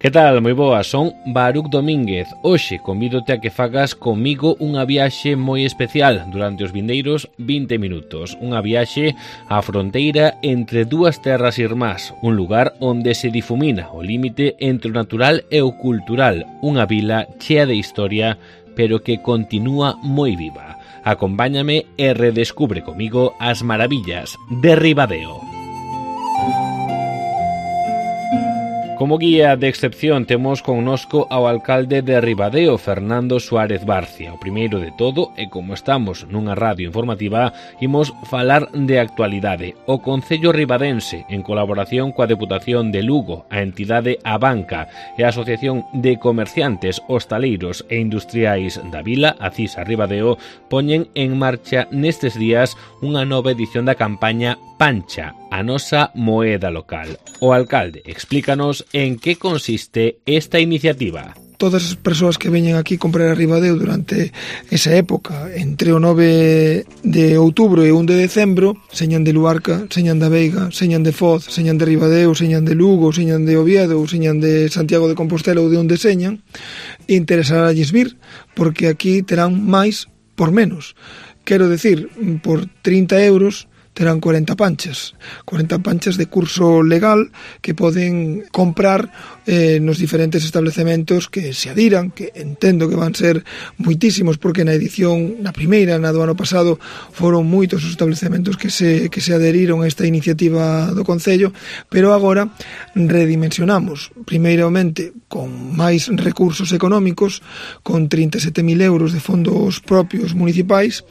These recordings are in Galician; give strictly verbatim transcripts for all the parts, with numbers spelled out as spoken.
Que tal? Moi boa, son Baruc Domínguez. Hoxe convídote a que fagas comigo unha viaxe moi especial durante os vindeiros vinte minutos. Unha viaxe á fronteira entre dúas terras irmás, un lugar onde se difumina o límite entre o natural e o cultural, unha vila chea de historia, pero que continúa moi viva. Acompáñame e redescubre comigo as maravillas de Ribadeo. Como guía de excepción temos connosco ao alcalde de Ribadeo, Fernando Suárez Barcia. O primeiro de todo, e como estamos nunha radio informativa, imos falar de actualidade. O Concello Ribadense, en colaboración coa Deputación de Lugo, a entidade Abanca e a Asociación de Comerciantes, Hostaleiros e Industriais da Vila, a CISA Ribadeo, poñen en marcha nestes días unha nova edición da campaña Pancha, a nosa moeda local. O alcalde explícanos en que consiste esta iniciativa. Todas as persoas que veñen aquí comprar a Ribadeo durante esa época, entre o nove de outubro e o un de decembro, señan de Luarca, señan da Veiga, señan de Foz, señan de Ribadeo, señan de Lugo, señan de Oviedo, señan de Santiago de Compostela ou de onde señan, interesaralles vir, porque aquí terán máis por menos. Quero decir, por trinta euros terán cuarenta panchas, cuarenta panchas de curso legal que poden comprar eh, nos diferentes establecementos que se adiran, que entendo que van ser moitísimos, porque na edición, na primeira, na do ano pasado, foron moitos os establecementos que se, que se aderiron a esta iniciativa do Concello, pero agora redimensionamos, primeiramente con máis recursos económicos, con trinta e sete mil euros de fondos propios municipais,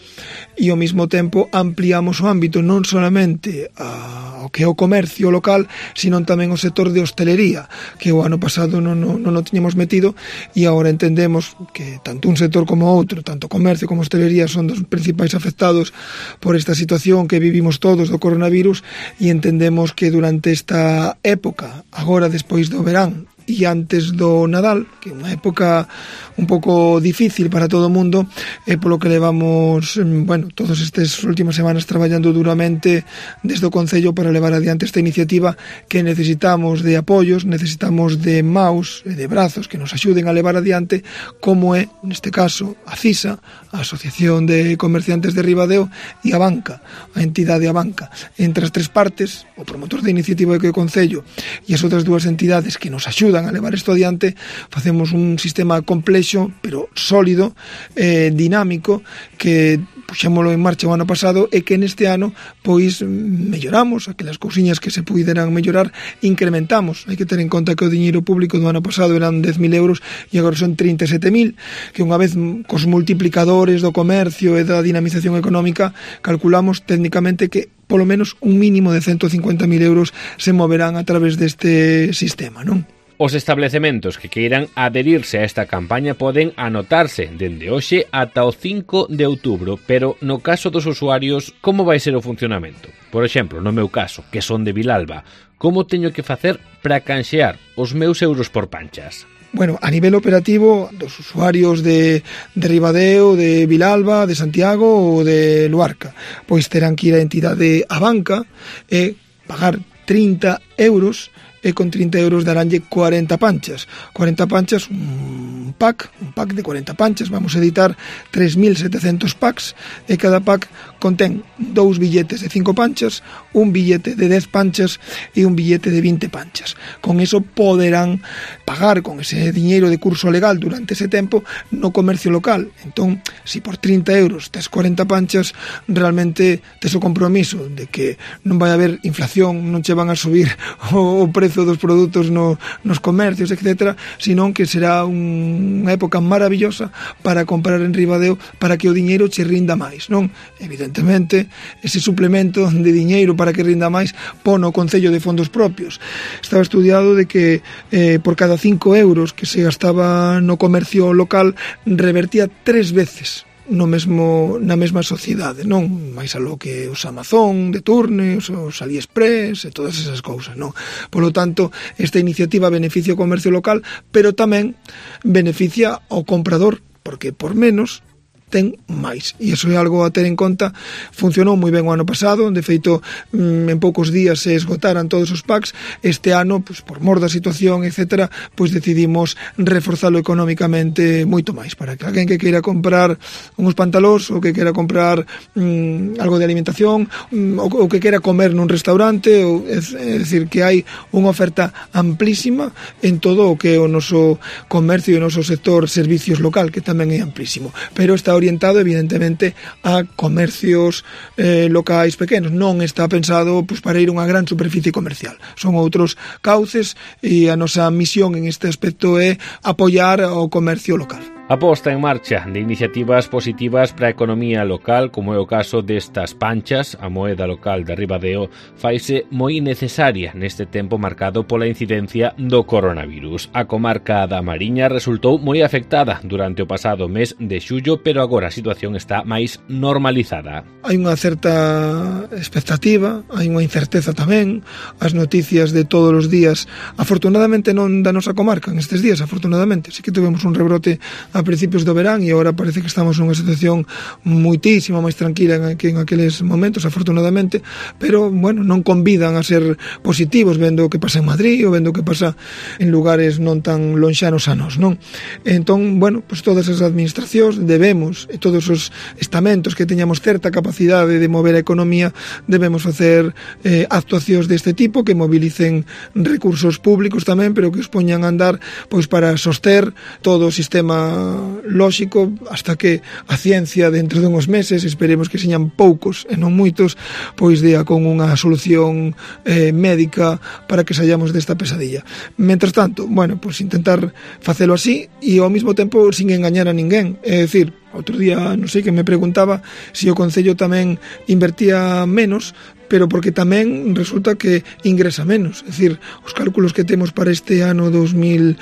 e ao mesmo tempo ampliamos o ámbito non solamente ao que é o comercio local, sino tamén o sector de hostelería, que o ano pasado non, non, non o tiñamos metido, e agora entendemos que tanto un sector como outro, tanto comercio como hostelería, son dos principais afectados por esta situación que vivimos todos do coronavirus, e entendemos que durante esta época, agora despois do verán e antes do Nadal, que é unha época un pouco difícil para todo o mundo, e polo que levamos, bueno, todas estas últimas semanas traballando duramente desde o Concello para levar adiante esta iniciativa, que necesitamos de apoios, necesitamos de maus e de brazos que nos axuden a levar adiante, como é, neste caso, a CISA, a Asociación de Comerciantes de Ribadeo, e a Banca, a entidade a Banca. Entre as tres partes, o promotor da iniciativa que é o Concello e as outras dúas entidades que nos axudan a levar isto adiante, facemos un sistema complexo, pero sólido, eh, dinámico, que puxémolo en marcha o ano pasado e que neste ano pois melloramos aquelas cousiñas que se puideran mellorar, incrementamos. Hai que ter en conta que o diñeiro público do ano pasado eran dez mil euros e agora son trinta e sete mil, que unha vez cos multiplicadores do comercio e da dinamización económica calculamos técnicamente que polo menos un mínimo de ciento cincuenta mil euros se moverán a través deste sistema, non? Os establecementos que queiran adherirse a esta campaña poden anotarse dende hoxe ata o cinco de outubro, pero no caso dos usuarios, como vai ser o funcionamento? Por exemplo, no meu caso, que son de Vilalba, como teño que facer para canxear os meus euros por panchas? Bueno, a nivel operativo, dos usuarios de, de Ribadeo, de Vilalba, de Santiago ou de Luarca, pois terán que ir a entidade a Banca e pagar trinta euros, e con trinta euros daránlle cuarenta panchas. cuarenta panchas, un pack, un pack de cuarenta panchas, vamos a editar tres mil setecentos packs, e cada pack contén dous billetes de cinco panchas, un billete de dez panchas e un billete de vinte panchas. Con eso poderán pagar con ese diñeiro de curso legal durante ese tempo no comercio local. Entón, si por trinta euros tes cuarenta panchas, realmente tes o compromiso de que non vai haber inflación, non che van a subir o, o prezo dos produtos no, nos comercios, etcétera, senón que será un, unha época maravillosa para comprar en Ribadeo, para que o diñeiro che rinda máis, non? Evidentemente, ese suplemento de diñeiro para que rinda máis pon o Concello de fondos propios. Estaba estudiado de que eh, por cada cinco euros que se gastaba no comercio local revertía tres veces no mesmo, na mesma sociedade, non? Mais aló que os Amazon de turno, os, os AliExpress e todas esas cousas, non? Polo tanto, esta iniciativa beneficia o comercio local, pero tamén beneficia ao comprador, porque por menos ten máis. E iso é algo a ter en conta. Funcionou moi ben o ano pasado, de feito, en poucos días se esgotaran todos os packs. Este ano, pues, por mor da situación, etcétera, pues decidimos reforzalo económicamente moito máis, para que alguén que queira comprar uns pantalós, ou que queira comprar mm, algo de alimentación, mm, ou, ou que queira comer nun restaurante, ou, é, é dicir, que hai unha oferta amplísima en todo o que é o noso comercio e o noso sector servicios local, que tamén é amplísimo, pero está orientado evidentemente a comercios eh, locais pequenos, non está pensado pues, para ir a unha gran superficie comercial, son outros cauces e a nosa misión en este aspecto é apoiar o comercio local. A posta en marcha de iniciativas positivas para a economía local, como é o caso destas panchas, a moeda local de Ribadeo, faise moi necesaria neste tempo marcado pola incidencia do coronavirus. A comarca da Mariña resultou moi afectada durante o pasado mes de xullo, pero agora a situación está máis normalizada. Hai unha certa expectativa, hai unha incerteza tamén, as noticias de todos os días, afortunadamente non da nosa comarca, en estes días, afortunadamente, sí que tuvemos un rebrote a principios do verán e agora parece que estamos nunha situación muitísimo máis tranquila que en aqueles momentos, afortunadamente, pero, bueno, non convidan a ser positivos vendo o que pasa en Madrid ou vendo o que pasa en lugares non tan lonxanos a nos, non? Entón, bueno, pues todas as administracións debemos, e todos os estamentos que teñamos certa capacidade de mover a economía, debemos facer eh, actuacións deste tipo que mobilicen recursos públicos tamén, pero que os poñan a andar pois para soster todo o sistema lóxico hasta que a ciencia dentro de uns meses, esperemos que señan poucos e non moitos, pois dea con unha solución eh, médica para que saíamos desta pesadilla. Mentras tanto, bueno, pois intentar facelo así e ao mesmo tempo sin engañar a ninguén, é dicir, outro día, non sei, que me preguntaba se o Concello tamén invertía menos, pero porque tamén resulta que ingresa menos. É dicir, os cálculos que temos para este ano dos mil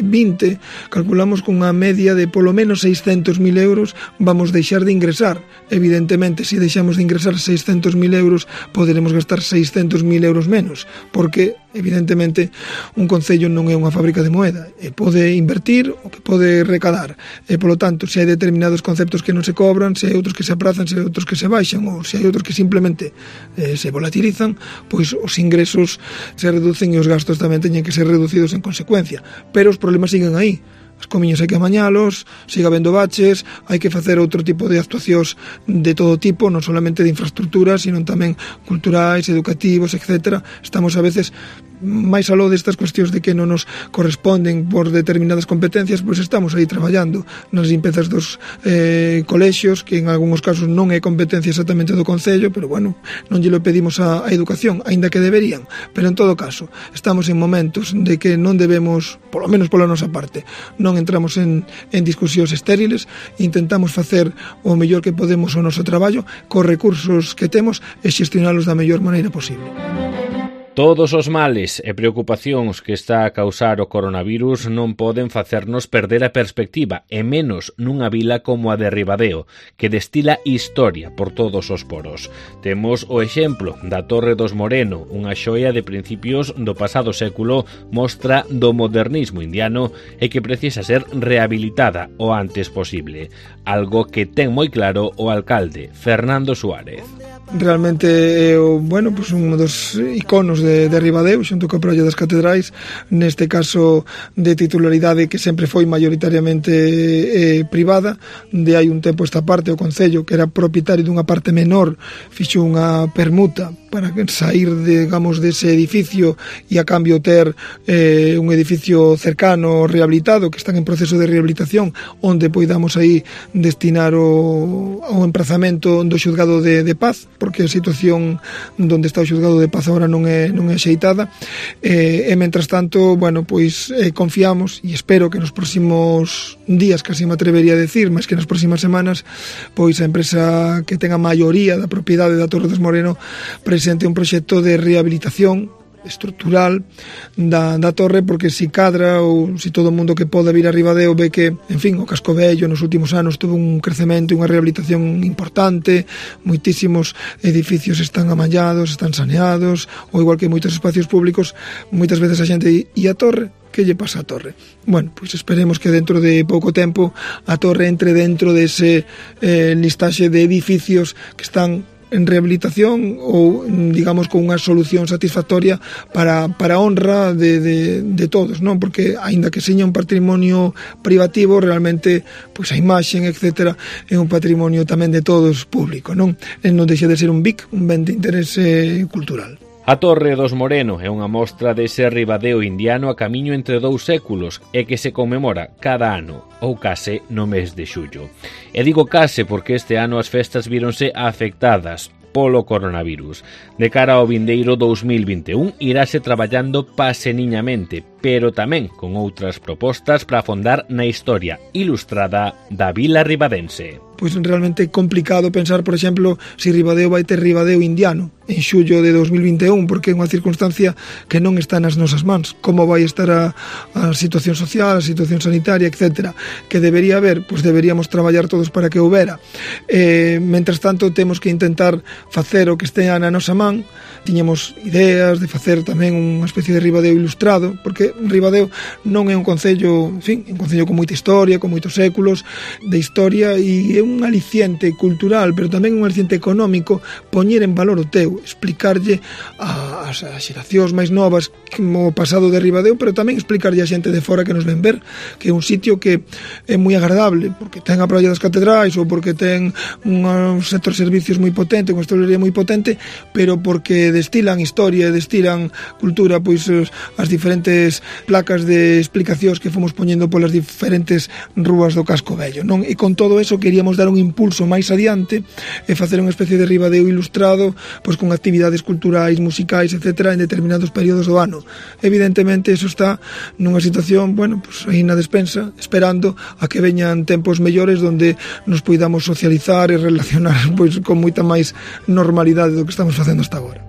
vinte, calculamos con unha media de polo menos seiscentos mil euros vamos deixar de ingresar. Evidentemente, se deixamos de ingresar seiscentos mil euros, poderemos gastar seiscentos mil euros menos, porque, evidentemente, un concello non é unha fábrica de moeda, e pode invertir o que pode recadar, e, polo tanto, se hai determinados conceptos que non se cobran, se hai outros que se aprazan, se hai outros que se baixan, ou se hai outros que simplemente eh, se volatilizan, pois os ingresos se reducen e os gastos tamén teñen que ser reducidos en consecuencia, pero os problemas siguen aí. Os comiños hai que amañalos, sigue habendo baches, hai que facer outro tipo de actuacións de todo tipo, non solamente de infraestructuras, sino tamén culturais, educativos, etcétera. Estamos a veces máis aló destas cuestións de que non nos corresponden por determinadas competencias, pois estamos aí traballando nas limpezas dos eh, colexios, que en algúns casos non é competencia exactamente do Concello, pero bueno, non lle lo pedimos a, a educación, aínda que deberían, pero en todo caso estamos en momentos de que non debemos, polo menos pola nosa parte, non entramos en, en discusións estériles, intentamos facer o mellor que podemos o noso traballo cos recursos que temos e xestionalos da mellor maneira posible. Todos os males e preocupacións que está a causar o coronavirus non poden facernos perder a perspectiva, e menos nunha vila como a de Ribadeo, que destila historia por todos os poros. Temos o exemplo da Torre dos Moreno, unha xoia de principios do pasado século, mostra do modernismo indiano e que precisa ser rehabilitada o antes posible, algo que ten moi claro o alcalde, Fernando Suárez. Realmente é o, bueno, pues un dos iconos de, de Ribadeo, xunto coa Praia das Catedrais, neste caso de titularidade que sempre foi maioritariamente eh, privada. De hai un tempo esta parte o Concello, que era propietario dunha parte menor, fixo unha permuta para sair, digamos, dese edificio e a cambio ter eh, un edificio cercano rehabilitado, que están en proceso de rehabilitación, onde poidamos aí destinar o, o emprazamento do xuzgado de, de paz, porque a situación onde está o xuzgado de paz agora non é, non é xeitada, e, e mentras tanto, bueno, pois eh, confiamos e espero que nos próximos días, casi me atrevería a decir, máis que nas próximas semanas, pois a empresa que ten a maioría da propiedade da Torre dos Moreno presente un proxecto de rehabilitación estrutural da, da torre, porque si cadra ou si todo o mundo que poda vir a Ribadeo ve que, en fin, o casco vello nos últimos anos tuvo un crecemento e unha rehabilitación importante, moitísimos edificios están amallados, están saneados, ou igual que moitos espacios públicos, moitas veces a xente e a torre, que lle pasa a torre. Bueno, pois esperemos que dentro de pouco tempo a torre entre dentro dese eh, listaxe de edificios que están en rehabilitación ou, digamos, con unha solución satisfactoria para, para a honra de, de, de todos, non? Porque, aínda que seña un patrimonio privativo, realmente, pois a imaxen, etcétera, é un patrimonio tamén de todos público, non? E non deixa de ser un B I C, un ben de interese cultural. A Torre dos Moreno é unha mostra dese ribadeo indiano a camiño entre dous séculos e que se conmemora cada ano, ou case no mes de xullo. E digo case porque este ano as festas víronse afectadas polo coronavirus. De cara ao vindeiro dous mil vinte e un irase traballando paseniñamente, pero tamén con outras propostas para afondar na historia ilustrada da vila ribadense. Pois realmente é complicado pensar, por exemplo, se Ribadeo vai ter Ribadeo indiano en xullo de dous mil vinte e un, porque é unha circunstancia que non está nas nosas mans. Como vai estar a, a situación social, a situación sanitaria, etcétera. Que debería haber? Pois deberíamos traballar todos para que houbera. Eh, mentras tanto, temos que intentar facer o que estea na nosa man. Tiñemos ideas de facer tamén unha especie de Ribadeo ilustrado, porque Ribadeo non é un concello, en fin, un concello con moita historia, con moitos séculos de historia, e é un aliciente cultural, pero tamén un aliciente económico, poñer en valor o teu, explicarlle ás xeracións máis novas o pasado de Ribadeo, pero tamén explicarlle a xente de fora que nos ven ver que é un sitio que é moi agradable, porque ten a Praia das Catedrais ou porque ten un sector de servicios moi potente, unha hostelería moi potente, pero porque destilan historia, destilan cultura, pois as diferentes placas de explicacións que fomos poñendo polas diferentes rúas do casco vello, non? E con todo eso queríamos dar un impulso máis adiante e facer unha especie de Ribadeo ilustrado, pois con actividades culturais, musicais, etcétera, en determinados períodos do ano. Evidentemente, eso está nunha situación, bueno, pois aí na despensa, esperando a que veñan tempos mellores onde nos poidamos socializar e relacionar pois con moita máis normalidade do que estamos facendo hasta agora.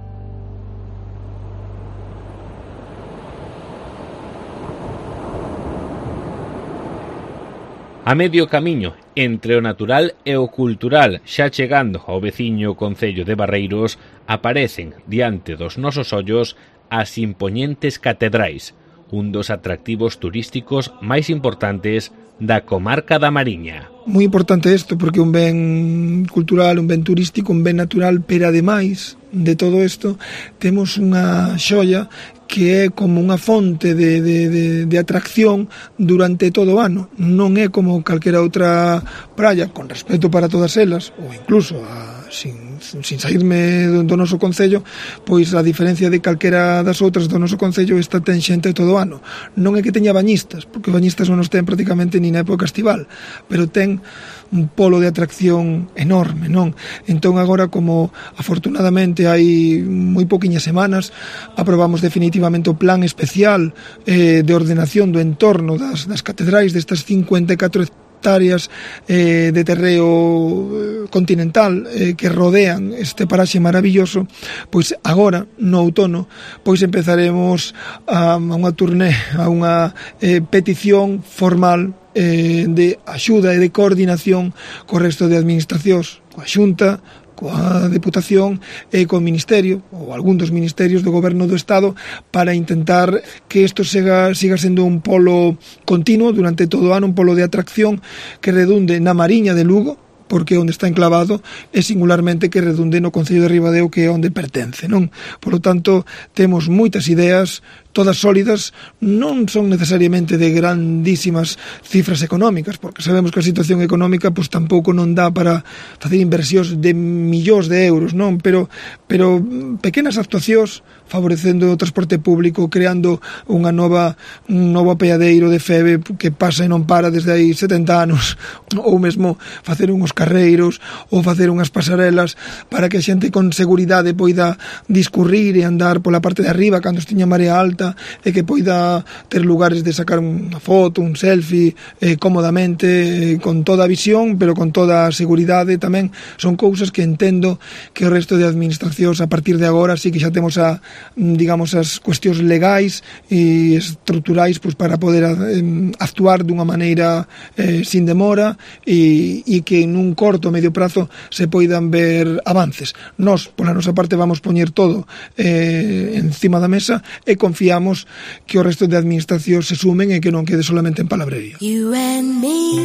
A medio camiño entre o natural e o cultural, xa chegando ao veciño concello de Barreiros, aparecen diante dos nosos ollos as impoñentes catedrais, un dos atractivos turísticos máis importantes da comarca da Mariña. Moi importante isto, porque un ben cultural, un ben turístico, un ben natural, pero ademais de todo isto, temos unha xoia que é como unha fonte de, de, de, de atracción durante todo o ano. Non é como calquera outra praia, con respeto para todas elas, ou incluso a, sin, sin saírme do, do noso concello, pois a diferencia de calquera das outras do noso concello, esta ten xente todo o ano. Non é que teña bañistas, porque bañistas non os ten prácticamente ni na época estival, pero ten un polo de atracción enorme, non? Entón agora, como afortunadamente hai moi poquiñas semanas, aprobamos definitivamente o plan especial eh, de ordenación do entorno das, das catedrais, destas cincuenta e catro hectáreas eh, de terreo continental eh, que rodean este paraxe maravilloso. Pois agora, no outono, pois empezaremos a, a unha turné, a unha eh, petición formal eh, de axuda e de coordinación co resto de administracións, coa Xunta, coa Deputación e co Ministerio, ou algún dos ministerios do Goberno do Estado, para intentar que isto siga, siga sendo un polo continuo durante todo o ano, un polo de atracción que redunde na Mariña de Lugo, porque onde está enclavado, e singularmente que redunde no concello de Ribadeo, que é onde pertence, non? Por lo tanto, temos moitas ideas, todas sólidas, non son necesariamente de grandísimas cifras económicas, porque sabemos que a situación económica pois tampouco non dá para facer inversións de millóns de euros, non? Pero, pero pequenas actuacións favorecendo o transporte público, creando unha nova un novo apeadeiro de Feve que pasa e non para desde hai setenta anos, ou mesmo facer uns carreiros ou facer unhas pasarelas para que a xente con seguridade poida discurrir e andar pola parte de arriba cando estiña marea alta, e que poida ter lugares de sacar unha foto, un selfie eh, cómodamente, eh, con toda a visión, pero con toda a seguridade tamén. Son cousas que entendo que o resto de administracións a partir de agora sí que xa temos a, digamos, as cuestións legais e estruturais pois, para poder eh, actuar dunha maneira eh, sin demora, e, e que nun nun corto o medio prazo se poidan ver avances. Nós, pola nosa parte, vamos poñer todo eh, encima da mesa e confiamos que o resto de administracións se sumen e que non quede solamente en palabrería. You and me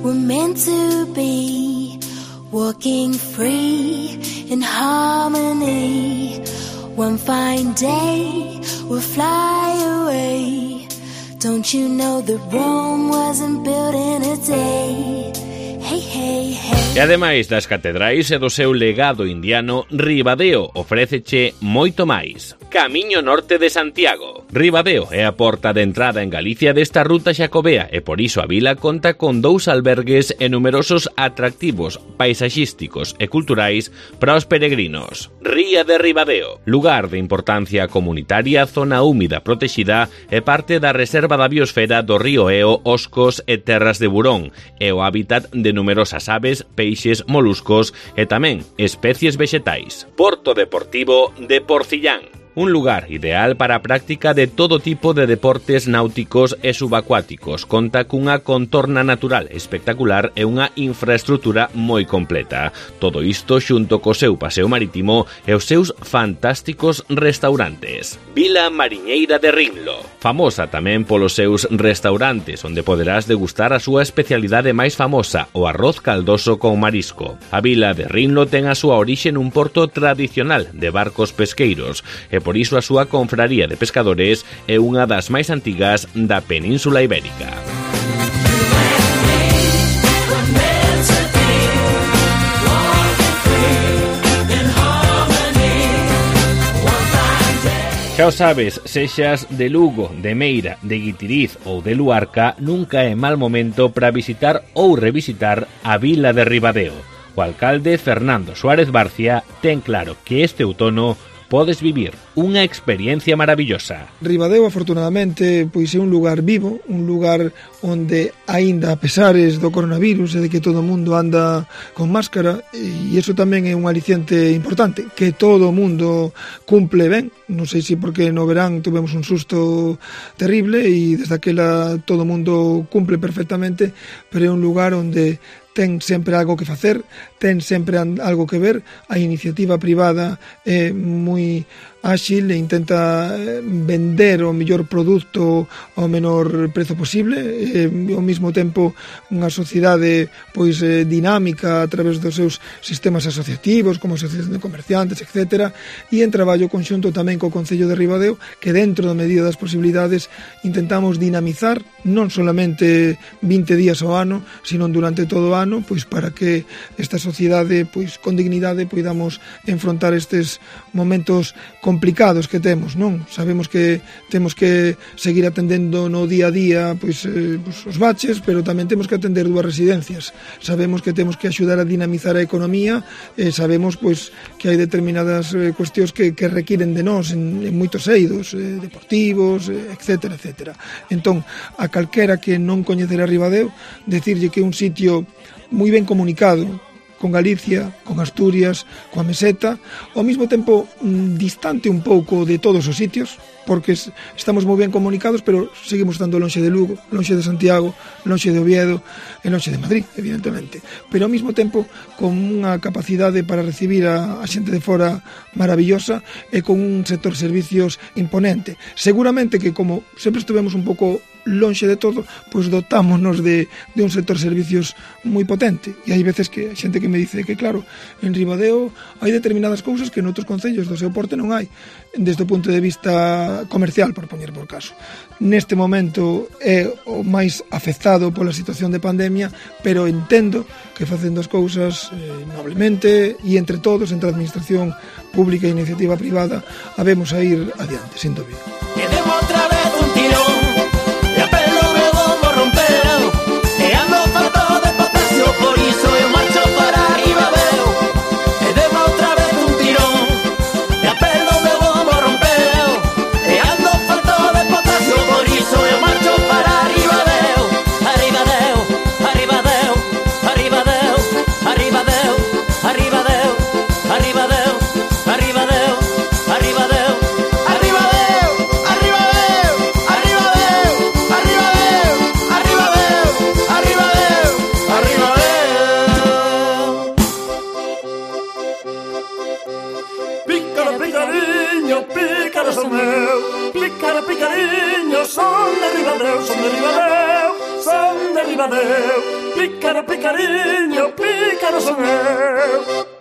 were meant to be, walking free in harmony. One fine day we'll fly away. Don't you know that Rome wasn't built in a day? Hey, hey, hey. E ademais das catedrais e do seu legado indiano, Ribadeo ofréceche moito máis. Camiño Norte de Santiago. Ribadeo é a porta de entrada en Galicia desta ruta xacobea e por iso a vila conta con dous albergues e numerosos atractivos paisaxísticos e culturais para os peregrinos. Ría de Ribadeo, lugar de importancia comunitaria, zona húmida protexida e parte da reserva da biosfera do río Eo, Oscos e Terras de Burón, e o hábitat de numerosas aves, peixes, moluscos e tamén especies vexetais. Porto Deportivo de Porcillán. Un lugar ideal para a práctica de todo tipo de deportes náuticos e subacuáticos. Conta cunha contorna natural espectacular e unha infraestrutura moi completa. Todo isto xunto co seu paseo marítimo e os seus fantásticos restaurantes. Vila Mariñeira de Rinlo. Famosa tamén polos seus restaurantes, onde poderás degustar a súa especialidade máis famosa, o arroz caldoso con marisco. A vila de Rinlo ten a súa orixe nun porto tradicional de barcos pesqueiros e por iso a súa confraría de pescadores é unha das máis antigas da Península Ibérica. Xa o sabes, sexas de Lugo, de Meira, de Guitiriz ou de Luarca, nunca é mal momento para visitar ou revisitar a vila de Ribadeo. O alcalde Fernando Suárez Barcia ten claro que este outono podes vivir unha experiencia maravillosa. Ribadeo, afortunadamente, pois é un lugar vivo, un lugar onde, aínda a pesares do coronavirus e de que todo o mundo anda con máscara, e iso tamén é un aliciente importante, que todo o mundo cumple ben. Non sei se porque no verán tuvemos un susto terrible e desde aquela todo o mundo cumple perfectamente, pero é un lugar onde ten sempre algo que facer, ten sempre algo que ver. A iniciativa privada é moi áxil e intenta vender o mellor produto ao menor prezo posible, e ao mesmo tempo unha sociedade pois dinámica a través dos seus sistemas asociativos como asociación de comerciantes, etcétera, e en traballo conxunto tamén co Concello de Ribadeo, que dentro da medida das posibilidades intentamos dinamizar non solamente vinte días ao ano, sino durante todo o ano, pois para que esta sociedade pois con dignidade poidamos enfrontar estes momentos complicados que temos, non? Sabemos que temos que seguir atendendo no día a día pois, eh, pois os baches, pero tamén temos que atender dúas residencias. Sabemos que temos que axudar a dinamizar a economía, e sabemos pois que hai determinadas eh, cuestións que, que requiren de nós en, en moitos eidos eh, deportivos, eh, etcétera, etcétera. Entón, a calquera que non coñecerá Ribadeo, decirlle que é un sitio moi ben comunicado con Galicia, con Asturias, coa Meseta, ao mesmo tempo distante un pouco de todos os sitios, porque estamos moi ben comunicados, pero seguimos estando lonxe de Lugo, lonxe de Santiago, lonxe de Oviedo e lonxe de Madrid, evidentemente. Pero ao mesmo tempo con unha capacidade para recibir a, a xente de fora maravillosa e con un sector servicios imponente. Seguramente que como sempre estivemos un pouco lonxe de todo, pois dotámonos de, de un sector servicios moi potente, e hai veces que a xente que me dice que claro, en Ribadeo hai determinadas cousas que noutros concellos do seu porte non hai, desde o punto de vista comercial, por poñer por caso. Neste momento é o máis afectado pola situación de pandemia, pero entendo que facendo as cousas eh, noblemente e entre todos, entre a administración pública e a iniciativa privada, habemos a ir adiante, sin dúbida. Quedemos outra vez un tirón. Por iso eu marcho para Ribadeo, e demo outra vez un tirón, e a pelo meu bombo rompeu, e ando falto de potasio, por iso eu marcho para Ribadeo, a Ribadeo, a Ribadeo, a Ribadeo, a Ribadeo, a Ribadeo, a Ribadeo, a Ribadeo, a Ribadeo, a Ribadeo, a Ribadeo, a Ribadeo, a Ribadeo, a Ribadeo, a Ribadeo, a Ribadeo. Pícaro, picariño, pícaro son eu. Pícaro, picariño, son de Ribadeo, son de Ribadeo, son de Ribadeo. Pícaro, picariño, pícaro son eu.